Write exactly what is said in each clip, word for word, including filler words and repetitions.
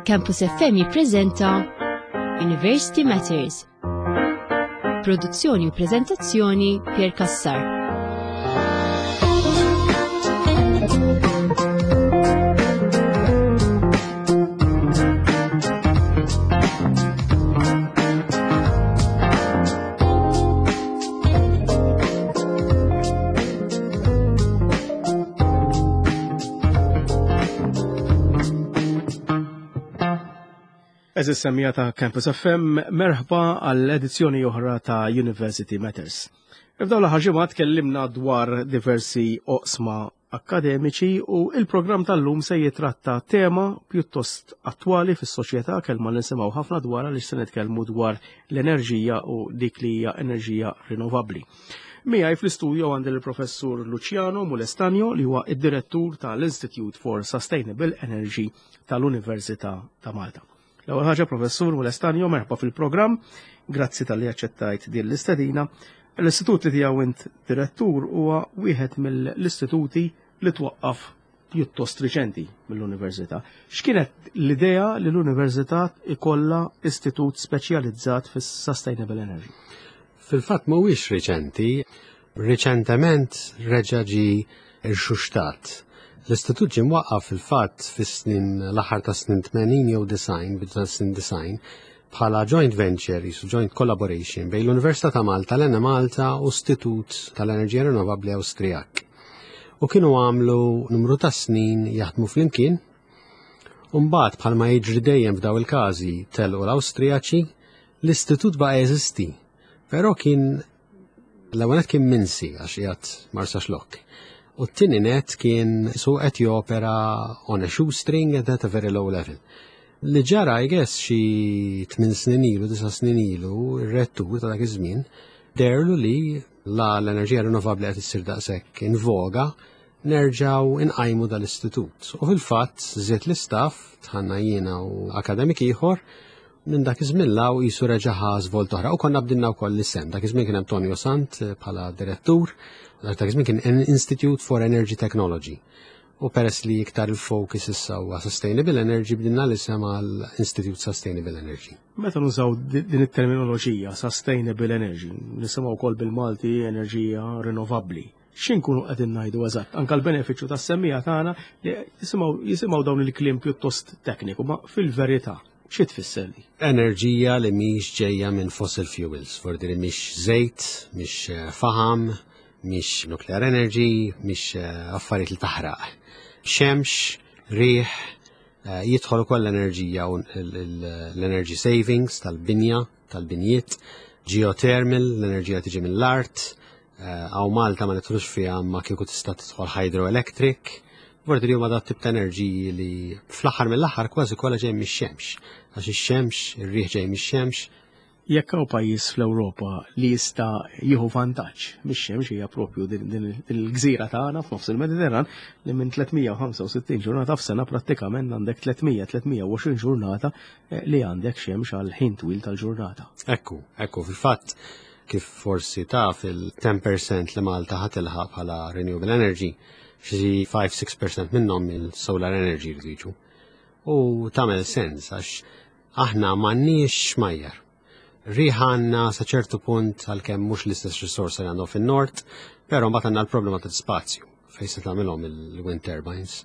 Campus F M jippreżenta University Matters. Produzzjoni u preżentazzjoni, Pier Cassar. Għeżież semmiegħa ta' Campus F M, merħba għall-edizzjoni oħra ta' University Matters. F'dawn l-aħħar ġimgħat tkellimna dwar diversi oqsma akademiċi u il-programm tal-lum se jitratta tema pjuttost attwali fis-soċjetà, kelma li nisimgħu ħafna dwar, li se nitkellmu dwar l-enerġija u dik li hija enerġija rinnovabbli. Miegħi fl-istudio għandi l-professur Luciano Mulestanio, li huwa id-direttur tal-Institute for Sustainable Energy tal-Università ta' Malta. L-ewwel ħaġa, Professur Mulestanio, merħba fil-programm. Grazzi talli aċċettajt din l-istedina. L-istitut li tiegħu int direttur huwa wieħed mill-istituti li twaqqaf pjuttost riċenti mill-università. X'kienet l-idea li l-università ikollha istitut speċjalizzat fis-sustainable energy? Fil-fatt mhuwiex riċenti, riċentement reġa' ġie irxuxtat. L-istitut ġie mwaqqaf fil-fatt fis-snin l-aħħar ta' snin tmenin jew disgħin, bidu ta' snin disgħin, bħala joint venture, jisu joint collaboration bejn l-Università ta' Malta, l-Enemalta u Istitut tal-Enerġija Rinnovabbli Awstrijak. U kienu għamlu numru ta' snin jaħdmu flimkien. Umbagħad, bħalma jiġri dejjem f'daw il-każi, telqu l-Awstrijaċi, l-istitut baqa' jeżisti, però kien l-ewwel kien minsi għax qiegħed Marsaxlokk. U t-tieni net kien su qed jopera on a shoestring and at a very low level. Li ġara, I guess, xi tmien snin ilu, disa' snin ilu, ir-rettur ta' dak iż-żmien deherlu li la l-enerġija rinnovabbli qed issir daqshekk in voga, nerġaw inqajmu dal-istitut. U fil-fatt żied l-istaff, dħalna jiena u akademik ieħor, minn dak iż-żmien 'l hawn qisu reġa' ħa żvolt oħra. U konna bdilna wkoll l-isem. Dak iż-żmien kien hemm Tonio Sant eh, bħala direttur, dak iż-żmien kien Institute for Energy Technology. U peress li iktar il-focus issa huwa Sustainable Energy, bdilna l-isem għal Institute Sustainable Energy. Meta nużaw din it-terminoloġija Sustainable Energy, nisimgħu wkoll bil-Malti enerġija rinnovabbli. X'inkunu qegħdin ngħidu eżatt? Anka l-benefiċċju tas-semmiegħa tagħna li jisimgħu jisimgħu dawn il-kliem pjuttost tekniku, ma fil-verità xi tfisser li? Enerġija li mhix ġejja minn fossil fuels, fordi mhix żejt, mhix eh, faham, mhix nuclear energy, mhix eh, affarijiet li taħraq. Xemx, riħ, eh, jidħol ukoll l-enerġija u l-energy savings tal-binja, tal-binjiet, geothermal, l-enerġija tiġi mill-art, hawn Malta ma nidħlux fiha, ma kieku tista' tidħol hydroelectric. Vordi li huma dat tip ta' enerġiji li fl-aħħar mill-aħħar kważi kollha ġej mix-xemx. Għax ix-xemx, ir-riħ ġej mix-xemx. Jekk hawn pajjiż fl-Ewropa li jista' jieħu vantaġġ mix-xemx, hija propju din il-gżira tagħna f'nofs il-Mediterran, li minn tliet mija u ħamsa u sittin ġurnata f'sena prattikament għandek tliet mija tliet mija u għoxrin ġurnata eh, li għandek xemx għal ħin twil tal-ġurnata. Ekku, ekku, fil-fatt kif forsi taf, il-għaxra fil-mija li Malta ħa tilħaq bħala renewable energy, xi ħamsa-sitta fil-mija minnhom il-solar energy li jiġu. U tagħmel sens għax aħna m'għandniex xmajjar. Riħ għandna sa ċertu punt, għalkemm mhux l-istess risorsa li għandhom fin-nord, però mbagħad għandna l-problema ta' spazju fejn se tagħmilhom il-wind turbines.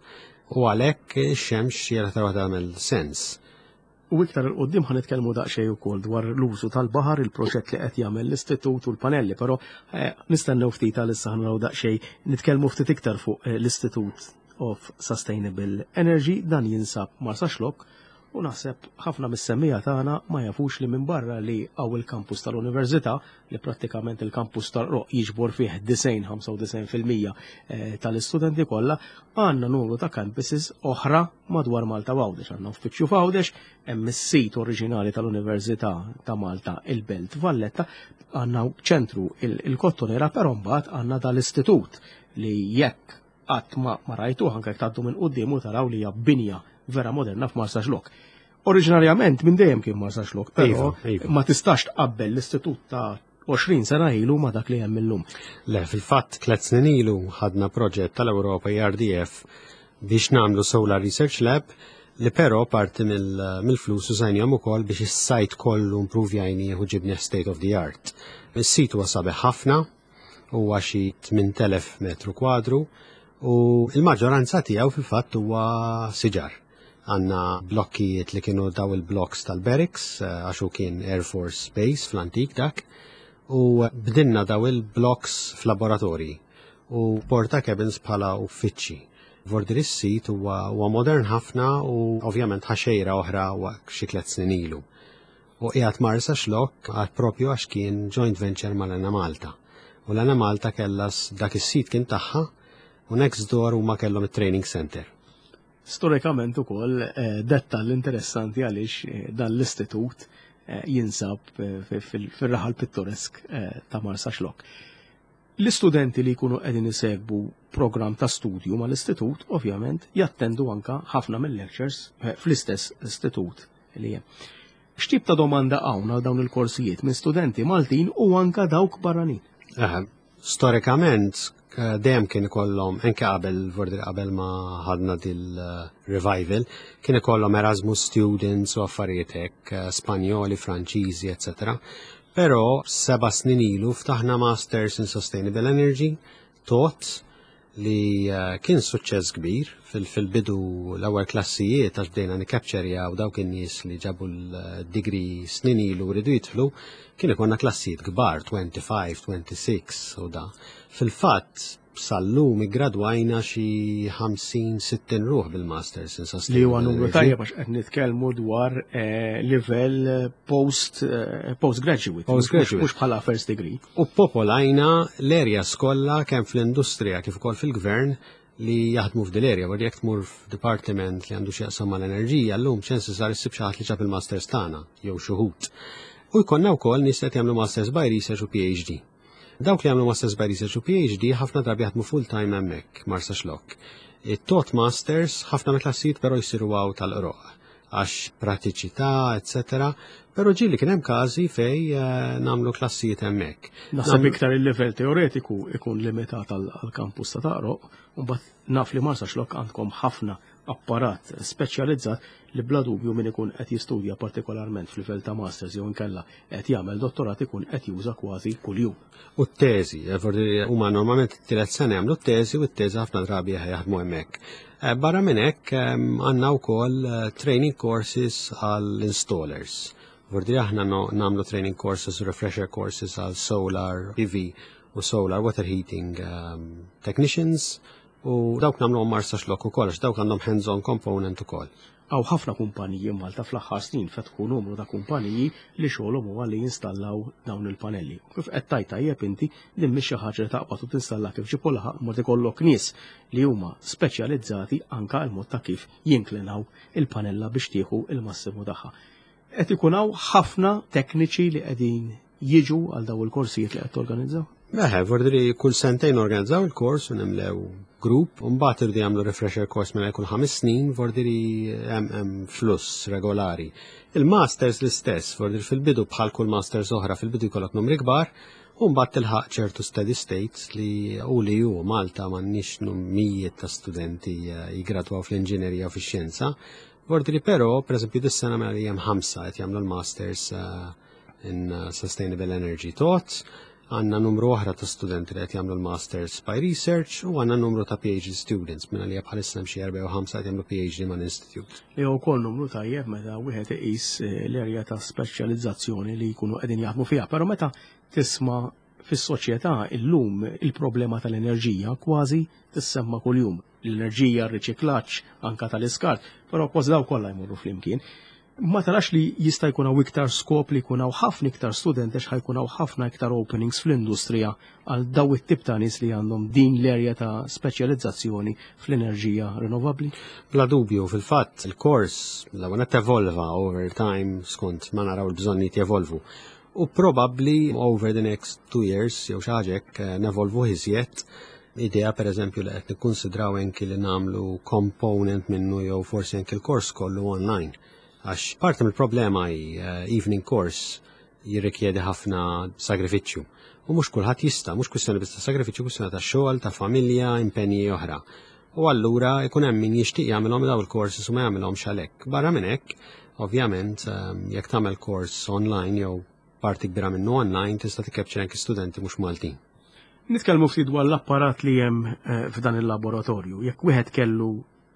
U għalhekk ix-xemx hija l-aktar tagħmel sens. U iktar 'il quddiem ħa nitkellmu daqsxejn ukoll dwar l-użu tal-baħar, il-proġett li qed jagħmel l-istitut u l-panelli, però eh, nistennew ftit, għalissa ħa naraw daqsxejn, nitkellmu ftit iktar fuq eh, l-Institute of Sustainable Energy. Dan jinsab Marsaxlokk u naħseb ħafna mis-semmiegħa tagħna ma jafux li minn barra li hawn il-kampus tal-Università, li prattikament il-kampus tal-Qroqq jiġbor fih disgħin ħamsa u disgħin fil-mija eh, tal-istudenti kollha, għandna numru ta' campuses oħra madwar Malta Għawdex. Għandna uffiċċju f'Għawdex, hemm is-sit oriġinali tal-Università ta' Malta, il-Belt Valletta, għandna ċentru il-Kottonera, però mbagħad għandna dal-istitut li jekk qatt ma, ma rajtu, anke jekk tgħaddu minn qudiem u taraw li hija binja vera moderna f'Marsaxlokk. Oriġinarjament minn dejjem kien Marsaxlokk, però Iva, iva. ma tistax tqabbel l-istitut ta' għoxrin sena ilu ma dak li hemm illum. Le, fil-fatt tliet snin ilu ħadna proġett tal-Ewropa, E R D F, biex nagħmlu Solar Research Lab Li però parti mill-flus użajnihom ukoll biex is-site kollu improvjajnieh u ġibnieh state of the art. Is-sit huwa sabiħ ħafna, huwa xi tmien elef metru kwadru u il-maġġoranza tiegħu fil-fatt huwa siġar. Għandna blokkijiet li kienu daw il-blocks tal-barracks, eh, għax hu kien Air Force Base fl-antik dak, u bdilna daw il-blocks f'laboratorji u porta cabins bħala uffiċċji. Vordiri s-sit huwa huwa modern ħafna u ovvjament ħa xejra oħra xi tliet snin ilu. U qiegħed Marsaxlokk għad propju għax kien joint venture mal-Enemalta. U l-Enemalta kellha dak is-sit kien tagħha u next door huma kellhom it-training center. Storikament ukoll eh, dettall interessanti għaliex eh, dan l-istitut eh, jinsab fil-raħal pittoresk ta' Marsaxlokk. L-istudenti li jkunu qegħdin isegwu program ta' studju mal-istitut, ovvjament, jattendu anka ħafna mill-lectures fl-istess istitut li hemm. X'tip ta' domanda hawn għal dawn il-korsijiet minn studenti Maltin u anka dawk barranin? Storikament, dejjem kien ikollhom, anke qabel, vordi qabel ma ħadna dil-revival, kien ikollhom Erasmus students u affarijiet hekk, Spanjoli, Franċiżi, eċċetera. Però seba' snin ilu ftaħna Masters in Sustainable Energy, taught, li eh, kien suċċess kbir. Fil-bidu, l-ewwel klassijiet, għax bdejna nikapċerjaw dawk in-nies li ġabu l-degree snin ilu rridu jidħlu, kien ikollna klassijiet kbar, twenty-five, twenty-six u da. Fil-fatt sal-lum iggradwajna xi ħamsin sittin ruħ bil-Masters in Sustainable Li huwa numru tajjeb għax qed nitkellmu dwar eh, livell post eh, postgraduate. Postgraduate. Mhux bħala first degree. U popolajna l-erja kollha, kemm fl-industrija kif ukoll fil-gvern, li jaħdmu f'dil area. Għor jekk tmur f'departiment li għandu x'jaqsam mal-enerġija, llum chances are issib xi ħadd li ġab il-masters tagħna jew xi wħud. U jkollna wkoll nies qed jagħmlu masters by research u P H D. Dawk li jagħmlu masters by research u P H D ħafna drabi jaħdmu full time hemmhekk Marsaxlokk. It-taught masters, ħafna mill-klassijiet però jsiru hawn Tal-Qroqq għax pratiċità, eccetera. Però ġieli kien hemm każi fej eh, nagħmlu klassijiet hemmhekk. Naħseb iktar il-level teoretiku ikun limitat għal-kampus ta' Tal-Qroqq, u mbagħad naf li Marsaxlokk għandkom ħafna apparat speċjalizzat li bla dubju min ikun qed jistudja, partikolarment f'livell ta' masters jew inkella qed jagħmel dottorat, ikun qed juża kważi kuljum. U t-teżi, eh, huma normalment t-tielet sena jagħmlu t-teżi u t-teżi ħafna drabi jaħdmu hemmhekk. Eh, barra minn hekk għandna wkoll eh, training courses għall-installers. Vordi aħna nagħmlu training courses u refresher courses għal solar P V u solar water heating um, technicians u dawk nagħmlu Marsaxlokk ukoll, għax dawk għandhom hands-on component ukoll. Hawn ħafna kumpaniji Malta, fl-aħħar snin fetħu numru ta' kumpaniji li xogħolhom huwa li jinstallaw dawn il-panelli. U kif qed tajt tajjeb inti, din mhix xi ħaġa li taqbad u tinstalla kif ġib u laħaq, mod ikollok nies li huma speċjalizzati anka l-mod ta' kif jinklinaw il-panella biex tieħu il-massimu tagħha. Qed ikun hawn ħafna tekniċi li qegħdin jiġu għal daw il-korsijiet li qed torganizzaw? Eħe, vordiri kull sentejn organizzaw il-kors u nimlew grupp, u mbagħad irdu jagħmlu refresher course minn kull ħames snin, vordiri hemm fluss regolari. Il-masters l-istess, vordiri fil-bidu, bħal kull masters oħra, fil-bidu jkollok numri kbar, u mbagħad tilħaq ċertu steady state li u li ju Malta m'għandniex mijiet ta' studenti eh, jigradwaw fl-inġinerija u fix-xjenza. Vordiri però, per eżempju, dis-sena mela li hemm ħamsa qed jagħmlu l-masters eh, in eh, Sustainable Energy taught, għandna numru oħra ta' studenti li qed jagħmlu l-Masters by Research u għandna numru ta' P H D students, minna li bħalissa hemm xi erba' jew ħamsa qed jagħmlu P H D mal-Institute. Li huwa wkoll numru tajjeb meta wieħed iqis eh, l-erja ta' speċjalizzazzjoni li jkunu qegħdin jaħdmu fiha. Però meta tisma' fis-soċjetà illum, il-problema tal-enerġija kważi tissemma kuljum. L-enerġija, r-riċiklaġġ, anka tal-iskart, però kważi daw kollha jmorru flimkien. Ma tarax li jista' jkun hawn iktar skop li jkun hawn ħafna iktar studenti, għax ħajkun hawn ħafna iktar openings fl-industrija għal daw it-tip ta' nies li għandhom din l-erja ta' speċjalizzazzjoni fl-enerġija rinnovabbli? Bla dubju, fil-fatt il-kors l-ewwel evolva over time skont ma naraw il-bżonnijiet jevolvu. U probably over the next two years jew xi ħaġa hekk eh, nevolvu iżjed. Idea, per eżempju, li qed nikkonsidraw anki li nagħmlu component minnu jew forsi anki l-kors kollu online. Għax parti mill-problema hi eh, evening course jirrikjedi ħafna sagrifiċċju. U mhux kulħadd jista', mhux kwistjoni biss ta' sagrifiċċju, kwistjoni ta' xogħol, ta' familja, impenji oħra. U allura ikun hemm min jixtieq jagħmilhom daw il-courses u ma jagħmilhomx għalhekk. Barra minn hekk, ovvjament, ehm, jekk tagħmel course online jew parti kbira minnu online, tista' tikkapċer anke studenti mhux Maltin. Nitkellmu ftit dwar l-apparat li hemm eh, f'dan il-laboratorju. Jekk wieħed kellu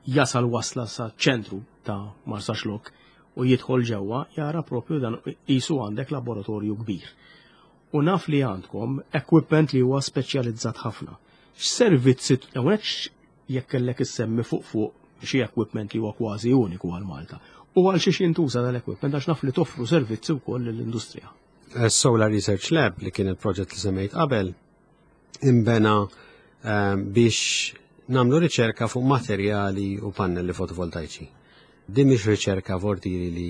jasal wasla sa ċentru ta' Marsaxlokk u jidħol ġewwa, jara propju dan qisu għandek laboratorju kbir. U naf li għandkom equipment li huwa speċjalizzat ħafna. X'servizzi hawnhekk, jekk kellek issemmi fuq fuq xi equipment li huwa kważi uniku għal Malta? U għal xiex jintuża dal-equipment, għax naf li toffru servizzi wkoll lill-industrija? Solar Research Lab, li kien il-proġett li semmejt qabel, imbena ehm, biex nagħmlu riċerka fuq materjali u pannelli fotovoltaiċi. Din mhix riċerka vortiri li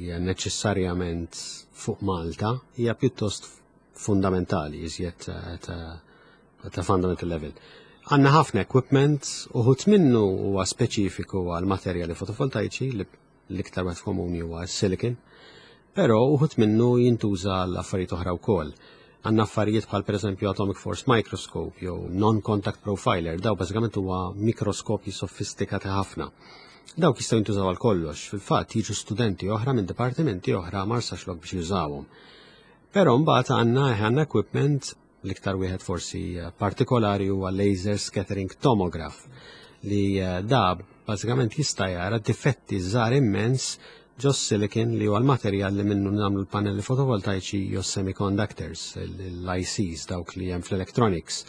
hija neċessarjament fuq Malta, hija pjuttost fundamentali, iżjed eh, ta' ta' fundamental level. Għanna ħafna equipment, uħud minnu huwa speċifiku għal materjali fotovoltaiċi, li l-iktar wieħed komuni huwa silicon, però uħud minnu jintuża għal affarijiet oħra wkoll. Għandna affarijiet bħal pereżempju Atomic Force Microscope jew Non-Contact Profiler, daw bażikament huwa mikroskopji sofistikati ħafna. Dawk jistgħu jintużaw għal kollox, fil-fatt jiġu studenti oħra minn dipartimenti oħra Marsaxlokk biex jużawhom. Però mbagħad għandna għandna equipment, l-iktar wieħed forsi partikolari huwa laser scattering tomograph, li eh, da bażikament jista' jara difetti żgħar immens ġo silicon, li huwa l-materjal li minnu nagħmlu l-pannelli fotovoltaiċi jew semiconductors, l-I Cs, dawk li hemm fl-electronics.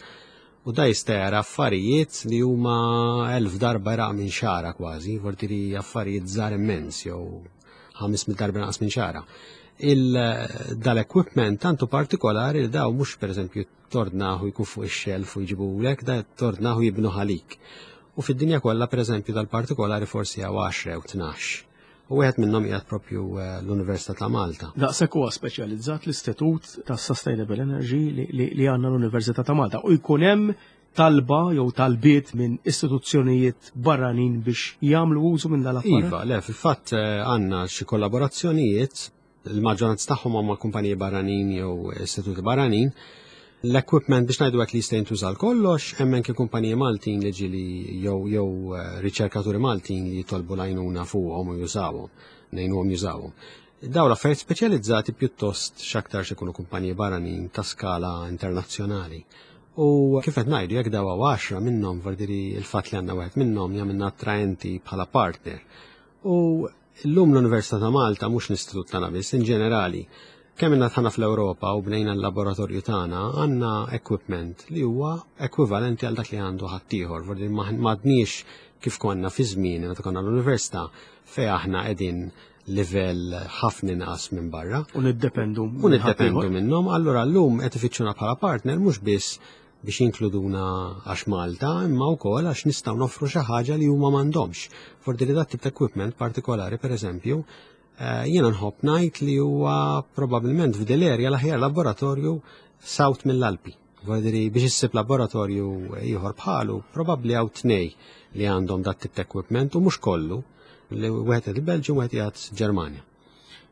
U da jista' jara affarijiet li huma elf darba raq minn xara kważi, vortiri affarijiet żgħar immens jew ħames mitt darba naqas minn xara. Dal-equipment tantu partikolari li daw mhux pereżempju tordnahu jkun fuq ix-shelf u jġibulek, da tordnahu jibnu għalik. U fid-dinja kollha, pereżempju, dal-partikolari forsi hawn għaxra jew tnax. U wieħed minnhom qiegħed propju eh, l-Università ta' Malta. Daqshekk huwa speċjalizzat l-Istitut ta' Sustainable Energy li għandna l-Università ta' Malta. U jkun hemm talba jew talbiet minn istituzzjonijiet barranin biex jagħmlu użu minn dal-apparat? Iva, le, fil-fatt eh, għandna xi kollaborazzjonijiet, il-maġġoranza tagħhom huma kumpaniji barranin jew istituti barranin. L-equipment, biex ngħidu hekk, li jista' jintuża kollox, hemm anke kumpaniji Maltin li ġieli jew jew eh, riċerkaturi Maltin li jitolbu l-għajnuna fuqhom u jużawhom, ngħinuhom jużawhom. Daw l-affarijiet speċjalizzati pjuttost x'aktar ikunu kumpaniji barranin ta' skala internazzjonali. U kif qed ngħidu, jekk daw għaxra minnhom, vardiri il-fatt li għandna wieħed minnhom jagħmilna attraenti bħala partner. U llum l-Università ta' Malta, mhux l-istitut tagħna biss, in ġenerali, kemm inna tħana fl-Ewropa u bnejna l-laboratorju tagħna, għandna equipment li huwa ekwivalenti għal dak li għandu ħaddieħor. Vordi m'għadniex kif konna fi żmien meta konna l-università, fej aħna qegħdin livell ħafna inqas minn barra. U niddependu. U niddependu minnhom, allura llum qed ifittxuna bħala partner mhux biss biex jinkluduna għax Malta, imma wkoll għax nistgħu noffru xi ħaġa li huma m'għandhomx. Fordi li dat tip ta' equipment partikolari, pereżempju, eh, jiena nħobb ngħid li huwa probabbilment f'dil-area l-aħjar laboratorju south mill-Alpi. Vordi biex issib laboratorju ieħor bħalu, probabbli hawn tnej li għandhom dat tip ta' equipment u mhux kollu, li wieħed il-Belġju u wieħed qiegħed Ġermanja.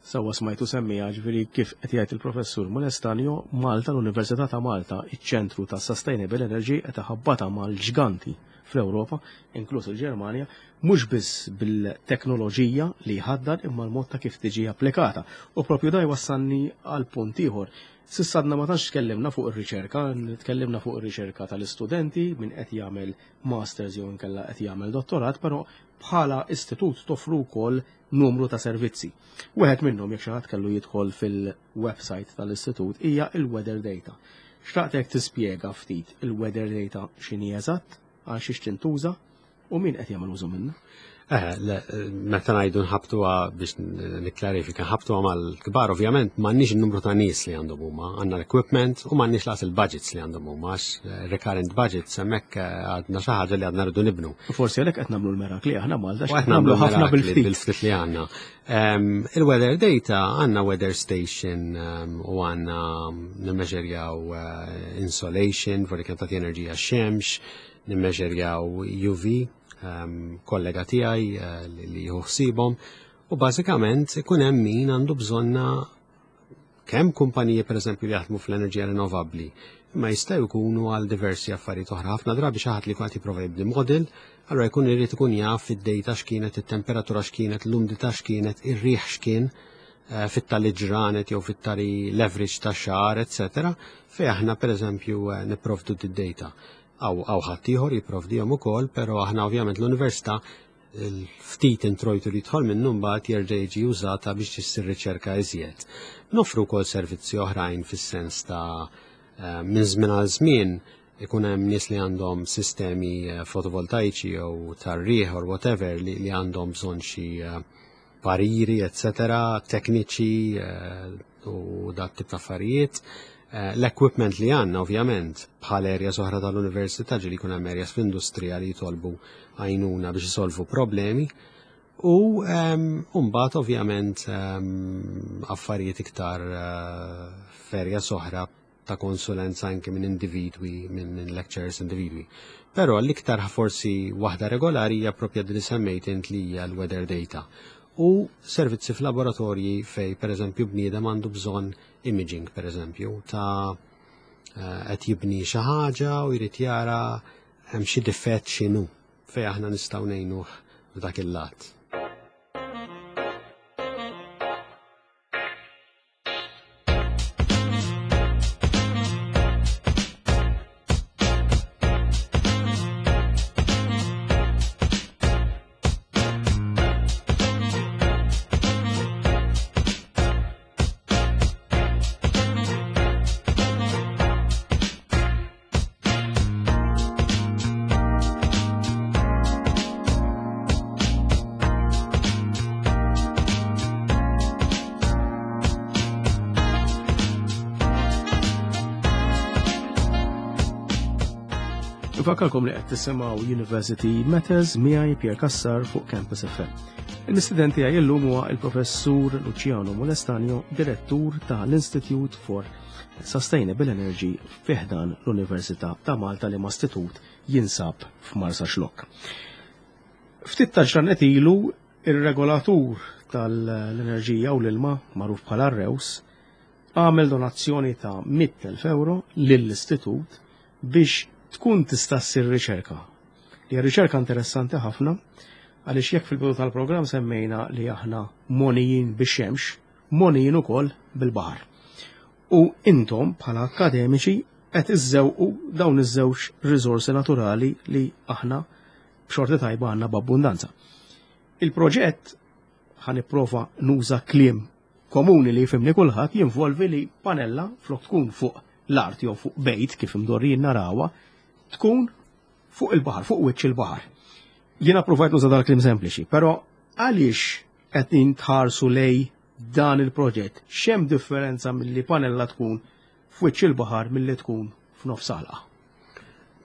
Sawa smajtu semmija, ġifieri kif qed jgħid il-professur Molestanio, Malta, l-Università ta' Malta, iċ-ċentru ta' Sustainable Energy, qed iħabbata mal-ġganti fl-Ewropa, inkluż il-Ġermanja, mhux biss bil-teknoloġija li jħaddan imma l-mod ta' kif tiġi applikata. U propju da jwassalni għal punt ieħor. S'issa għadna ma tantx tkellimna fuq ir-riċerka, tkellimna fuq ir-riċerka tal-istudenti min qed jagħmel masters jew inkella qed jagħmel dottorat, però bħala istitut toffru wkoll numru ta' servizzi. Wieħed minnhom, jekk xi ħadd kellu jidħol fil-website tal-istitut, hija il-weather data. Xtaqtek tispjega ftit il-weather data x'inhi eżatt, għal xiex tintuża u min qed jagħmel użu minnha. Eh, le, meta ngħidu nħabtuha, biex nikklarifika, nħabtuha mal-kbar, ovvjament m'għandniex il-numru ta' nies li għandhom huma, għandna l-equipment u m'għandniex lanqas il-budgets li għandhom huma, għax eh, recurrent budgets hemmhekk eh, għadna xi ħaġa li għadna rridu nibnu. U forsi għalhekk qed nagħmlu l-merakli aħna Malta, U għax qed nagħmlu ħafna mirakli bil-ftit. Bil-ftit li għandna. Em, Il-weather data, għandna weather station em, u għandna nimmeġerjaw eh, insolation, vorri kemm tagħti enerġija x-xemx, nimmeġerjaw U V, em, kollega tiegħi eh, li li jieħu ħsiebhom, u bażikament ikun hemm min għandu bżonna, kemm kumpaniji pereżempju li jaħdmu fl-enerġija rinnovabbli Imma jistgħu jkunu għal diversi affarijiet oħra. Ħafna drabi xi ħadd li jkun qed jipprova jibni model, allura jkun irid ikun jaf id-data x'kienet, it-temperatura x'kienet, l-umdità x'kienet, ir-riħ x'kien eh, fit-tali ġranet jew fit-tali leverage ta' xahar, eċetera, fejn aħna pereżempju eh, nipprovdu d-data. Aw aw ħadd ieħor jipprovdihom ukoll, però aħna ovvjament l-università il-ftit introjtu li jidħol minnu mbagħad jerġa' jiġi użata biex issir riċerka iżjed. Nofru wkoll servizzi oħrajn fis-sens ta' eh, minn żmien għal żmien ikun hemm nies li għandhom sistemi eh, fotovoltaiċi jew tar-riħ or whatever li, li għandhom bżonn xi eh, pariri, eccetera, tekniċi u dat tip ta' affarijiet. L-equipment li għandna ovvjament bħal areas oħra tal-università ġieli jkun hemm areas fl-industrija li jitolbu għajnuna biex isolvu problemi. U mbagħad ovvjament affarijiet iktar eh, f'areas oħra ta' konsulenza anke minn individwi, minn minn lecturers individwi. Però l-iktar forsi waħda regolari hija propja li semmejt int li hija l-weather data. U servizzi f'laboratorji fej per eżempju bniedem għandu bżonn imaging per eżempju ta' eh, qed jibni xi ħaġa u jrid jara hemm xi difett x'inhu fej aħna nistgħu ngħinuh f'dak il-lat. Nfakkarkom li qed tisimgħu University Matters miegħi Pierre Cassar fuq Campus F M. Il-mistieden tiegħi llum huwa il-Professur Luciano Molestanio, Direttur tal-Institute for Sustainable Energy fi ħdan l-Università ta' Malta li ma' istitut jinsab f'Marsaxlokk. Ftit ta' ġranet ilu ir-regolatur tal-enerġija u l-ilma magħruf bħala R E W S għamel donazzjoni ta' mitt elf euro lill-istitut biex tkun tista' ssir riċerka. Li hija riċerka interessanti ħafna għaliex jekk fil-bidu tal-programm semmejna li aħna monijin bix-xemx, monijin ukoll bil-baħar. U intom bħala akademiċi qed iżżewqu dawn iż-żewġ riżorsi naturali li aħna b'xorti tajba għandna b'abbundanza. Il-proġett, ħa nipprova nuża kliem komuni li jifhimni kulħadd, jinvolvi li panella flok tkun fuq l-art jew fuq bejt kif imdorrijin narawha, tkun fuq il-baħar, fuq wiċċ il-baħar. Jiena provajt nuża dal-kliem sempliċi, però għaliex qed tħarsu lej dan il-proġett? X'hemm differenza milli panella tkun f'wiċċ il-baħar milli tkun f'nofs għalqa?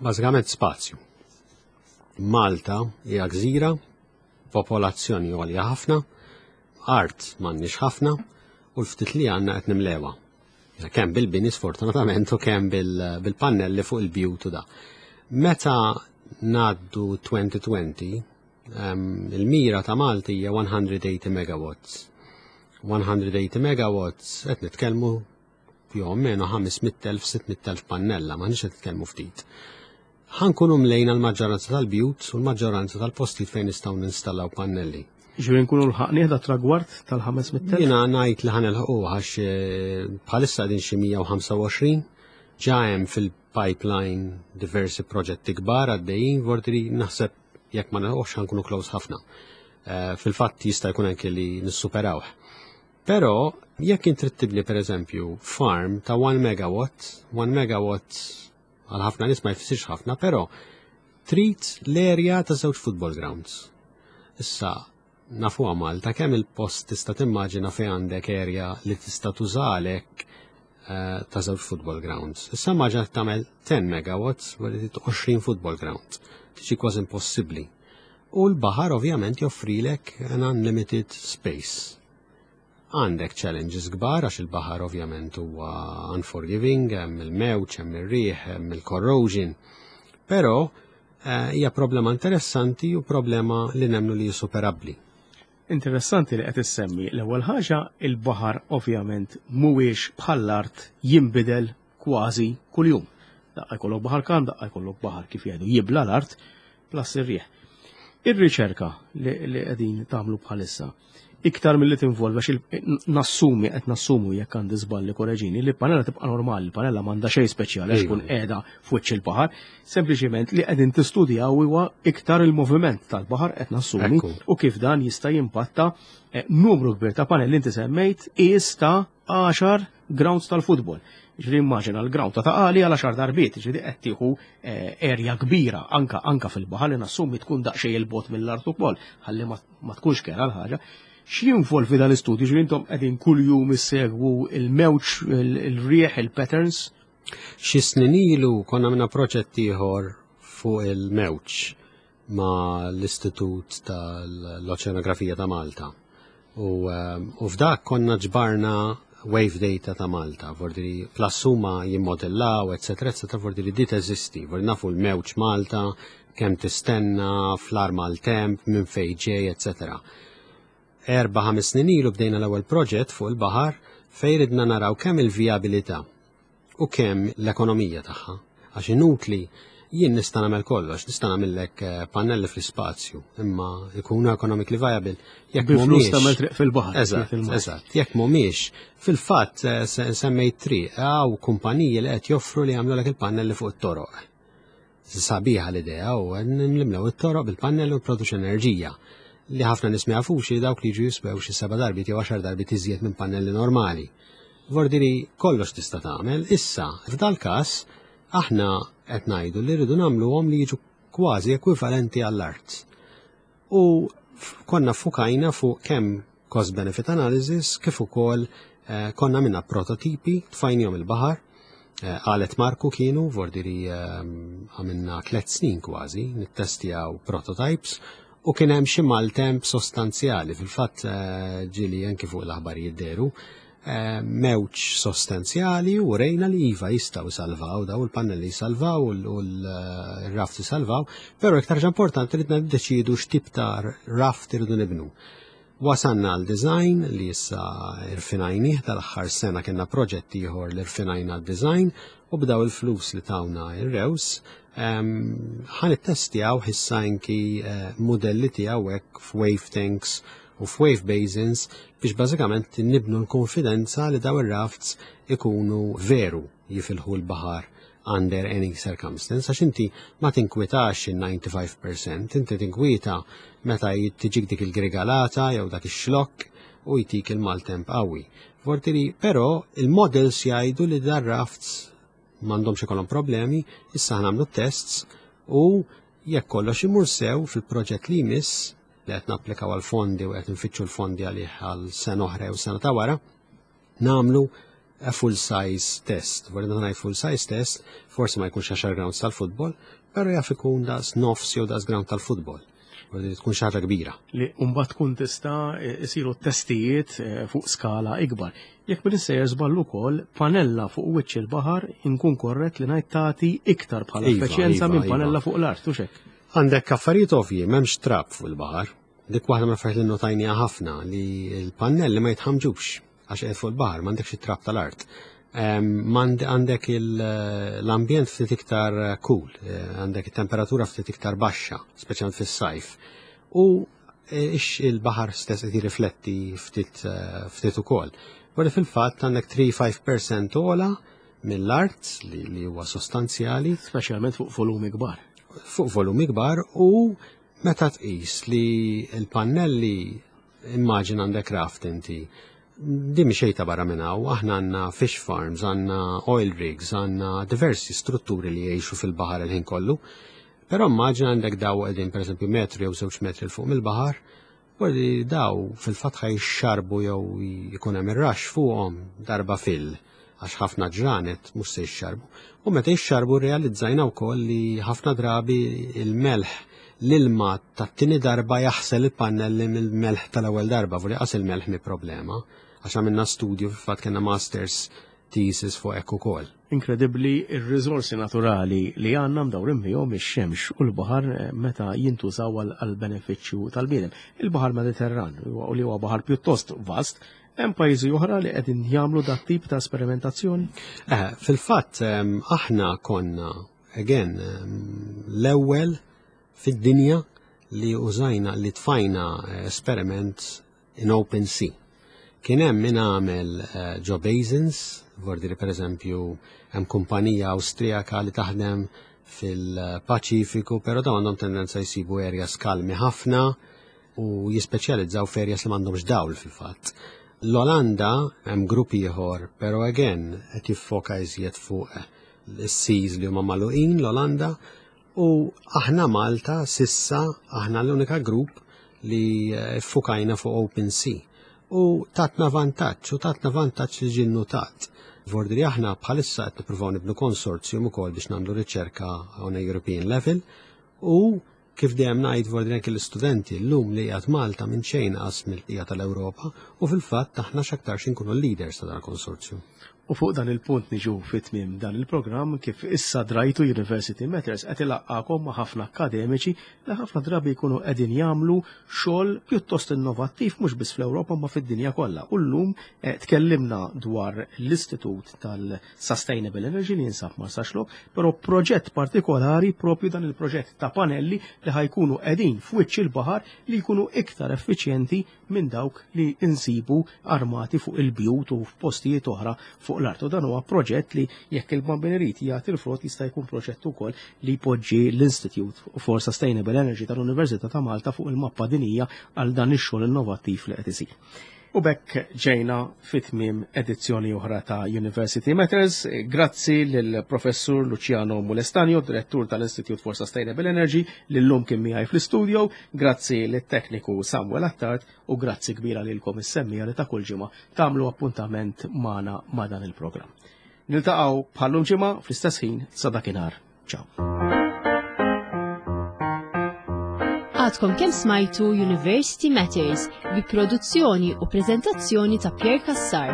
Bażikament spazju. Malta hija gżira, popolazzjoni għolja ħafna, art m'għandniex ħafna u l-ftit li għandna qed nimlewha. Kemm bil-bini sfortunatament u kemm bil-, bil-pannelli fuq il-bjut u da. Meta ngħaddu twenty twenty, um, il-mira ta' Malta hija one hundred eighty megawatts. one hundred eighty megawatts qed nitkellmu più o meno ħames mitt elf, sitt mitt elf pannella, ma nix qed nitkellmu ftit. Ħankunu mlejna l-maġġoranza tal-bjut u l-maġġoranza tal-postijiet fejn nistgħu ninstallaw pannelli. Ġifieri nkunu lħaqnieh da tragward tal-ħames mitt elf? Jiena ngħid li ħanilħquh għax, eh, bħalissa qegħdin xi mija u ħamsa u għoxrin, ġa hemm fil-pipeline diversi proġetti kbar għaddejjin, vortri naħseb jekk ma nilħqux ħankunu close ħafna. Eh, fil-fatt jista' jkun anke li nissuperawh. Però jekk int trid tibni pereżempju farm ta' one megawatt, one megawatt għal ħafna nies ma jfissirx ħafna, però trid l-area ta' żewġ football grounds. Issa nafuha Malta kemm il-post tista' timmaġina fejn għandek area li tista' tużalek, eh, ta' żewġ football grounds. Issa immaġina tagħmel ten megawatts u li trid għoxrin football grounds. Tiġi kważi impossibbli. U l-baħar ovvjament joffrilek an unlimited space. Għandek challenges kbar għax il-baħar ovvjament huwa unforgiving, hemm il-mewġ, hemm ir-riħ, hemm il-corrosion. Però, eh, hija problema interessanti u problema li nemmnu li superabbli. Interessanti li qed issemmi l-ewwel ħaġa, il-baħar ovvjament mhuwiex bħall-art jinbidel kważi kuljum. Daqqa jkollok baħar kalm, daqqa jkollok baħar kif jgħidu jibla l-art, plus ir-riħ. Ir-riċerka li qegħdin tagħmlu bħalissa iktar mill-li tinvolva xi nassumi qed nassumu, jekk għandi żballi korreġini, li panella tibqa' normali, panella m'għandha xejn speċjali għax tkun qiegħda f'wiċċ il-baħar, sempliċiment li qegħdin tistudjaw huwa iktar il-moviment tal-baħar, qed nassumi, u kif dan jista' jimpatta eh, numru kbir ta' panelli. Inti semmejt qies ta' għaxar grounds tal-futbol. Ġifieri immaġina l-ground ta' Ta' Qali għal għaxar darbiet, ġifieri qed tieħu eh, erja kbira anka anka fil-baħar li nassumi tkun daqsxejn il-bogħod mill-art ukoll, ħalli ma tkunx kera l-ħaġa. X'jinvolvi dan l-istudju? Ġifieri intom qegħdin kuljum issegwu il-mewġ, il-rieħ, il-patterns? Xi snin ilu konna minna proġett ieħor fuq il-mewġ ma l-Istitut tal-Oċeanografija ta' Malta. U, um, u f'dak konna ġbarna wave data ta' Malta, vordiri plus huma jimmodellaw, eccetera, eccetera, vordiri di teżisti, vordiri nafu l-mewġ Malta, kemm tistenna, fl-arma l-temp, minn fejn ġej, eccetera. Erba' ħames snin ilu bdejna l-ewwel proġett fuq il-baħar fejn ridna naraw kemm il-vijabilità u kemm l-ekonomija tagħha. Għax inutli, jien nista' nagħmel kollox, nista' nagħmellek eh, pannelli fl-ispazju, imma ikunu economically viable jekk mhumiex tagħmel triq fil-baħar. Eżatt, eżatt, jekk mhumiex. Fil-fatt eh, semmejt triq, hawn kumpaniji li qed joffru li jagħmlu il-pannelli fuq it-toroq. Sabiħa l-idea u nimlew it-toroq bil-pannelli u produċi enerġija li ħafna nies ma jafux li dawk li jiġu jiswew xi seba' darbiet jew għaxar darbiet iżjed minn pannelli normali. Vordiri kollox tista' tagħmel, issa f'dal każ aħna qed ngħidu li rridu nagħmluhom li jiġu kważi ekwivalenti għall-art. U konna fukajna fuq kemm cost benefit analysis kif ukoll eh, konna minna prototipi tfajnihom il-baħar. Eh, Għalet Marku kienu, vordiri eh, għamilna tlet snin kważi, nittestjaw prototypes u kien hemm xi maltemp sostanzjali, fil-fatt eh, ġieli anki fuq l-aħbarijiet dehru, eh, mewġ sostanzjali u rejna li iva jistgħu salvaw, daw il-pannelli salvaw u l-raft salvaw, però iktar importanti li niddeċidu x'tip ta' raft irridu nibnu. Wasanna għal design li issa irfinajnih, tal-aħħar sena kienna proġett ieħor li rfinajna d-design u b'daw il-flus li tawna ir-rews ħa nittestjaw issa anki eh, modelli tiegħu hekk f'wave tanks u f'wave basins biex bażikament nibnu l-konfidenza li daw ir-rafts ikunu veru jifilħu l-baħar under any circumstance, għax inti ma tinkwitax il-disgħa u disgħin fil-mija, inti tinkwieta meta tiġik dik il-grigalata jew dak ix-xlokk u jtik il-maltemp qawwi. Vortiri, però il-models jgħidu li dar rafts m'għandhomx ikollhom problemi, issa nagħmlu tests u jekk kollox imur sew fil-proġett li jmiss li qed napplikaw għal fondi u qed nfittxu l-fondi għalih għal sena oħra u sena ta' wara, nagħmlu a full size test. Vorri ngħid full size test, forsi ma jkunx għaxar grounds tal-futbol, però jaf ikun daqs nofs jew daqs ground tal-futbol. Vorri tkun xi ħaġa kbira. Li mbagħad tkun tista' isiru testijiet eh, fuq skala ikbar. Jekk minn sejjer żball ukoll, panella fuq wiċċ il-baħar, inkun korrett li ngħid, tagħti iktar bħala Iva, effiċjenza iva, minn iva. panella fuq l-art, u hekk? Għandek affarijiet ovvji, m'hemmx trab fuq il-baħar. Dik waħda mill-affarijiet li notajnija ħafna, li l-pannelli ma jitħamġux għax qed fuq il-baħar, m'għandekx it-trab tal-art. Em, m'għand- Għandek il- l-ambjent ftit iktar cool, eh, għandek it-temperatura ftit iktar baxxa, speċjalment fis-sajf. U eh, ix il-baħar stess qed jirrifletti ftit eh, ftit ukoll. Wara fil-fatt għandek tlieta-ħamsa fil-mija ogħla mill-art li, li huwa sostanzjali. Speċjalment fuq volumi kbar. Fuq volumi kbar, u meta tqis li l-pannelli, immaġin għandek raft inti, di mxejta barra minn hawn, aħna għandna fish farms, għandna oil rigs, għandna diversi strutturi li jgħixu fil-baħar il-ħin kollu. Però immaġin għandek daw qegħdin pereżempju metru jew żewġ metri 'l fuq mill-baħar, u li daw fil-fatt ħa jxarbu jew jkun hemm ir-rax fuqhom darba fil għax ħafna ġranet mhux se jxarbu. U meta jxarbu realizzajna wkoll li ħafna drabi il-melħ, l-ilma tat-tieni darba jaħsel il-pannelli mill-melħ tal-ewwel darba, voli qas il-melħ mi problema, għax għamilna studju, fil-fatt kellna masters thesis fuq hekk ukoll. Inkredibbli ir-riżorsi naturali li għandna mdawrin bihom, ix-xemx u l-baħar, eh, meta jintużaw għal benefiċċju tal-bniedem. Il-Baħar Mediterran, u li huwa baħar pjuttost vast, hemm pajjiżi oħra li qegħdin jagħmlu dat tip ta' esperimentazzjoni? Eh, fil-fatt aħna konna again l-ewwel fid-dinja li użajna, li tfajna esperiment in open sea. Kien hemm min għamel eh, ġo basins, vordiri per eżempju hemm kumpanija Awstrijaka li taħdem fil-Paċifiku, però dawn għandhom tendenza jsibu areas kalmi ħafna u jispeċjalizzaw f'areas li m'għandhomx dawl fil-fatt. L-Olanda hemm grupp ieħor, però again qed jiffoka iżjed fuq is-seas li huma magħluqin l-Olanda, u aħna Malta s'issa aħna l-unika grupp li ffukajna fuq open sea. U tatna vantaġġ, u tatna vantaġġ li ġie nnotat. Vordiri aħna bħalissa qed nippruvaw nibnu konsorzjum ukoll biex nagħmlu riċerka on a European level, u kif dejjem ngħid, vordiri anke l-istudenti llum li qiegħed Malta minn xejn qas mill-bqija tal-Ewropa, u fil-fatt aħna x'aktarx inkunu leaders ta' dan il-konsorzjum. U fuq dan il-punt niġu fit-tmiem dan il-programm. Kif issa drajtu, University Matters qed ilaqqakom ma' ħafna akademiċi li ħafna drabi jkunu qegħdin jagħmlu xogħol pjuttost innovattiv mhux biss fl-Ewropa ma fid-dinja kollha. U llum eh, tkellimna dwar l-Istitut tal-Sustainable Energy li jinsab Marsaxlokk, però proġett partikolari, propju dan il-proġett ta' panelli li ħa jkunu qegħdin f'wiċċ il-baħar, li jkunu iktar effiċjenti minn dawk li insibu armati fuq il-bjut u f'postijiet oħra fuq l-art. U dan huwa proġett li, jekk il-Bambin irid, jagħti l-frott, jista' jkun proġett ukoll li jpoġġi l-Institute for Sustainable Energy tal-Università ta' Malta fuq il-mappa dinija għal dan ix-xogħol innovattiv li qed isir. U b'hekk ġejna fit-tmiem edizzjoni oħra ta' University Matters. Grazzi lill-Professur Luciano Mulestanio, direttur tal-Institute for Sustainable Energy, li llum kien miegħi fl-studio. Grazzi lit-tekniku Samuel Attard u grazzi kbira lilkom is-semmiegħa li ta' kull ġimgħa tagħmlu appuntament magħna ma' dan il-programm. Niltaqgħu bħallum ġimgħa fl-istess ħin. Sa dakinhar. Ciao. Għadkom kemm smajtu University Matters bi produzzjoni u prezentazzjoni ta' Pierre Cassar.